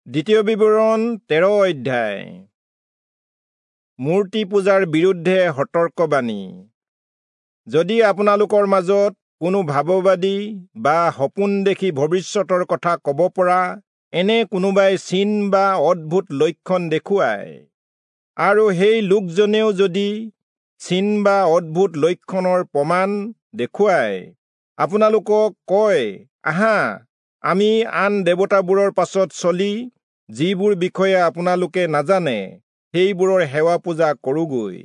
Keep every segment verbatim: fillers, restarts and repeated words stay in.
দ্বিতীয় বিৱৰণ তেৰ অধ্যায়। মূৰ্তি পূজাৰ বিৰুদ্ধে সতৰ্কবাণী। যদি আপোনালোকৰ মাজত কোনো ভাৱবাদী বা সপোন দেখি ভৱিষ্যতৰ কথা ক'ব পৰা এনে কোনোবাই চিন বা অদ্ভুত লক্ষণ দেখুৱায়, আৰু সেই লোকজনেও যদি চিন বা অদ্ভুত লক্ষণৰ প্ৰমাণ দেখুৱাই আপোনালোকক কয়, আহা আমি আন দেৱতাবোৰৰ পাছত চলি যিবোৰ বিষয়ে আপোনালোকে নাজানে সেইবোৰৰ সেৱা পূজা কৰোঁগৈ,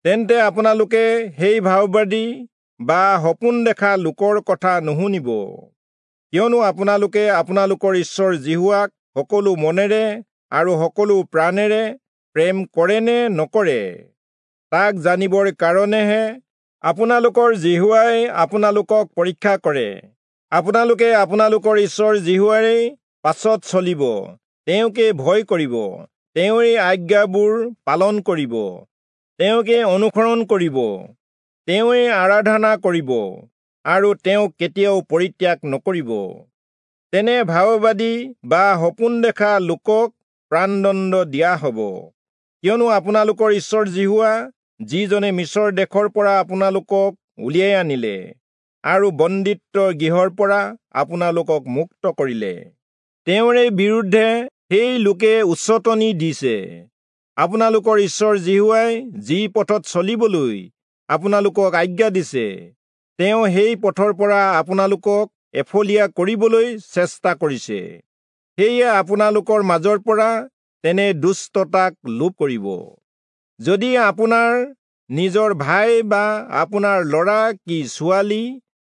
তেন্তে আপোনালোকে সেই ভাৱবাদী বা সপোন দেখা লোকৰ কথা নুশুনিব। কিয়নো আপোনালোকে আপোনালোকৰ ঈশ্বৰ যিহোৱাক সকলো মনেৰে আৰু সকলো প্ৰাণেৰে প্ৰেম কৰে নে নকৰে তাক জানিবৰ কাৰণেহে আপোনালোকৰ যিহোৱাই আপোনালোকক পৰীক্ষা কৰে। আপোনালোকে আপোনালোকৰ ঈশ্বৰ যিহোৱাৰেই পাছত চলিব, তেওঁকে ভয় কৰিব, তেওঁৰে আজ্ঞাবোৰ পালন কৰিব, তেওঁকে অনুসৰণ কৰিব, তেওঁৰে আৰাধনা কৰিব আৰু তেওঁক কেতিয়াও পৰিত্যাগ নকৰিব। তেনে ভাৱবাদী বা সপোন দেখা লোকক প্ৰাণদণ্ড দিয়া হ'ব। কিয়নো আপোনালোকৰ ঈশ্বৰ যিহোৱা, যিজনে মিচৰ দেশৰ পৰা আপোনালোকক উলিয়াই আনিলে আৰু বন্দীত্ব গৃহৰ পৰা আপোনালোকক মুক্ত কৰিলে, তেওঁৰে বিৰুদ্ধে সেই লোকে উচটনি দিছে। আপোনালোকৰ ঈশ্বৰ যিহোৱাই যি পথত চলিবলৈ আপোনালোকক আজ্ঞা দিছে, তেওঁ সেই পথৰ পৰা আপোনালোকক এফলীয়া কৰিবলৈ চেষ্টা কৰিছে। সেয়ে আপোনালোকৰ মাজৰ পৰা তেনে দুষ্টতাক লোপ কৰিব। যদি আপোনাৰ নিজৰ ভাই বা আপোনাৰ ল'ৰা কি ছোৱালী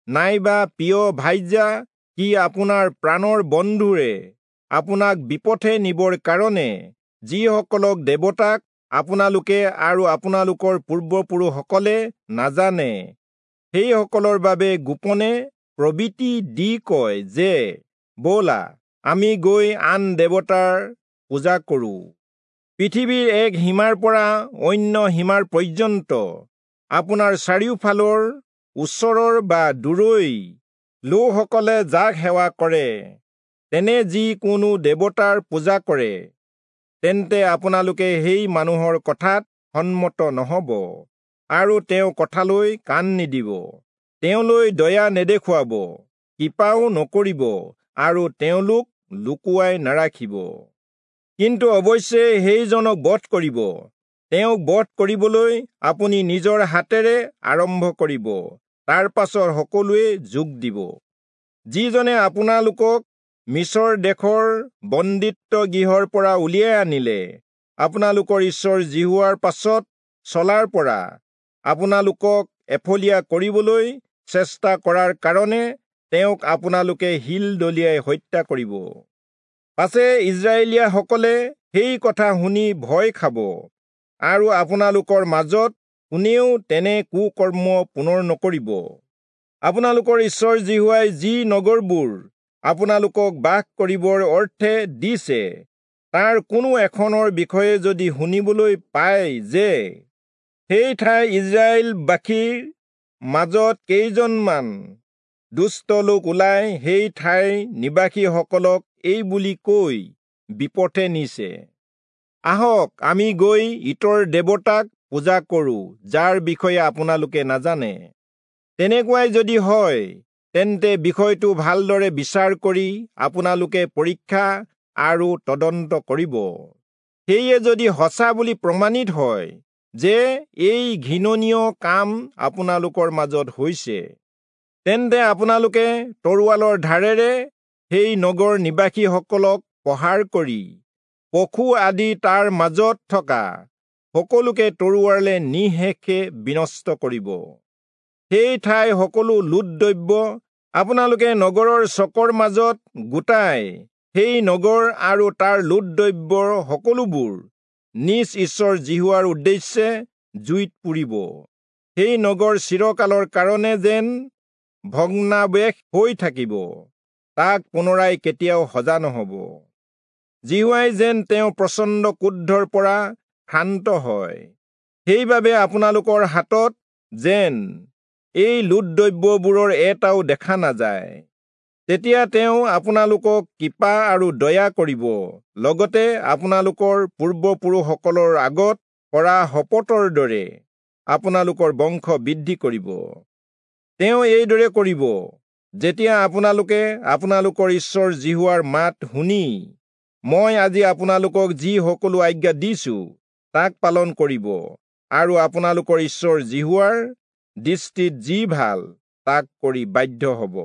নাইবা প্ৰিয় ভাইজা কি আপোনাৰ প্ৰাণৰ বন্ধুৰে আপোনাক বিপথে নিবৰ কাৰণে যিসকলক দেৱতাক আপোনালোকে আৰু আপোনালোকৰ পূৰ্বপুৰুষসকলে নাজানে, সেইসকলৰ বাবে গোপনে প্ৰবৃত্তি দি কয় যে, ব'লা আমি গৈ আন দেৱতাৰ পূজা কৰোঁ। পৃথিৱীৰ এক সীমাৰ পৰা অন্য সীমাৰ পৰ্যন্ত আপোনাৰ চাৰিওফালৰ ওচৰৰ বা দূৰৈ লোকসকলে যাক সেৱা কৰে, তেনে যি কোনো দেৱতাৰ পূজা কৰে, তেন্তে আপোনালোকে সেই মানুহৰ কথাত সন্মত নহ'ব আৰু তেওঁ কথালৈ কাণ নিদিব, তেওঁলৈ দয়া নেদেখুৱাব, কৃপাও নকৰিব আৰু তেওঁলোক লুকুৱাই নাৰাখিব। কিন্তু অৱশ্যে সেইজনক বধ কৰিব। তেওঁক বধ কৰিবলৈ আপুনি নিজৰ হাতেৰে আৰম্ভ কৰিব, তাৰ পাছত সকলোৱে যোগ দিব। যিজনে আপোনালোকক মিচৰ দেশৰ বন্দীত্ব গৃহৰ পৰা উলিয়াই আনিলে, আপোনালোকৰ ঈশ্বৰ যিহোৱাৰ পাছত চলাৰ পৰা আপোনালোকক এফলীয়া কৰিবলৈ চেষ্টা কৰাৰ কাৰণে তেওঁক আপোনালোকে শিল দলিয়াই হত্যা কৰিব। পাছে ইস্ৰায়েলীয়াসকলে সেই কথা শুনি ভয় খাব আৰু আপোনালোকৰ মাজত কোনেও তেনে কুকৰ্ম পুনৰ নকৰিব। আপোনালোকৰ ঈশ্বৰ যিহোৱাই যি নগৰবোৰ আপোনালোকক বাস কৰিবৰ অৰ্থে দিছে, তাৰ কোনো এখনৰ বিষয়ে যদি শুনিবলৈ পায় যে সেই ঠাই ইস্ৰায়েলবাসীৰ মাজত কেইজনমান দুষ্ট লোক ওলাই সেই ঠাইৰ নিবাসীসকলক এই বুলি কৈ বিপথে নিছে, আহক আমি গৈ ইতৰ দেৱতাক পূজা কৰোঁ, যাৰ বিষয়ে আপোনালোকে নাজানে, তেনেকুৱাই যদি হয়, তেন্তে বিষয়টো ভালদৰে বিচাৰ কৰি আপোনালোকে পৰীক্ষা আৰু তদন্ত কৰিব। সেয়ে যদি সঁচা বুলি প্ৰমাণিত হয় যে এই ঘৃণনীয় কাম আপোনালোকৰ মাজত হৈছে, তেন্তে আপোনালোকে তৰোৱালৰ ধাৰেৰে সেই নগৰ নিবাসীসকলক প্ৰহাৰ কৰি পশু আদি তাৰ মাজত থকা সকলোকে তৰোৱালে নিঃশেষে বিনষ্ট কৰিব। সেই ঠাই সকলো লুট দ্ৰব্য আপোনালোকে নগৰৰ চকৰ মাজত গোটাই সেই নগৰ আৰু তাৰ লুট দ্ৰব্যৰ সকলোবোৰ নিজ ঈশ্বৰ যিহোৱাৰ উদ্দেশ্যে জুইত পুৰিব। সেই নগৰ চিৰকালৰ কাৰণে যেন ভগ্নাৱশেষ হৈ থাকিব, তাক পুনৰাই কেতিয়াও সজা নহ'ব। যিহোৱাই যেন তেওঁ প্ৰচণ্ড ক্ৰোধৰ পৰা শান্ত হয়, সেইবাবে আপোনালোকৰ হাতত যেন এই লুট দ্ৰব্যবোৰৰ এটাও দেখা নাযায়। তেতিয়া তেওঁ আপোনালোকক কৃপা আৰু দয়া কৰিব, লগতে আপোনালোকৰ পূৰ্বপুৰুষসকলৰ আগত কৰা শপতৰ দৰে আপোনালোকৰ বংশ বৃদ্ধি কৰিব। তেওঁ এইদৰে কৰিব যেতিয়া আপোনালোকে আপোনালোকৰ ঈশ্বৰ যিহোৱাৰ মাত শুনি মই আজি আপোনালোকক যি সকলো আজ্ঞা দিছো তাক পালন কৰিব আৰু আপোনালোকৰ ঈশ্বৰ যিহোৱাৰ দৃষ্টিত যি ভাল তাক কৰি বাধ্য হ'ব।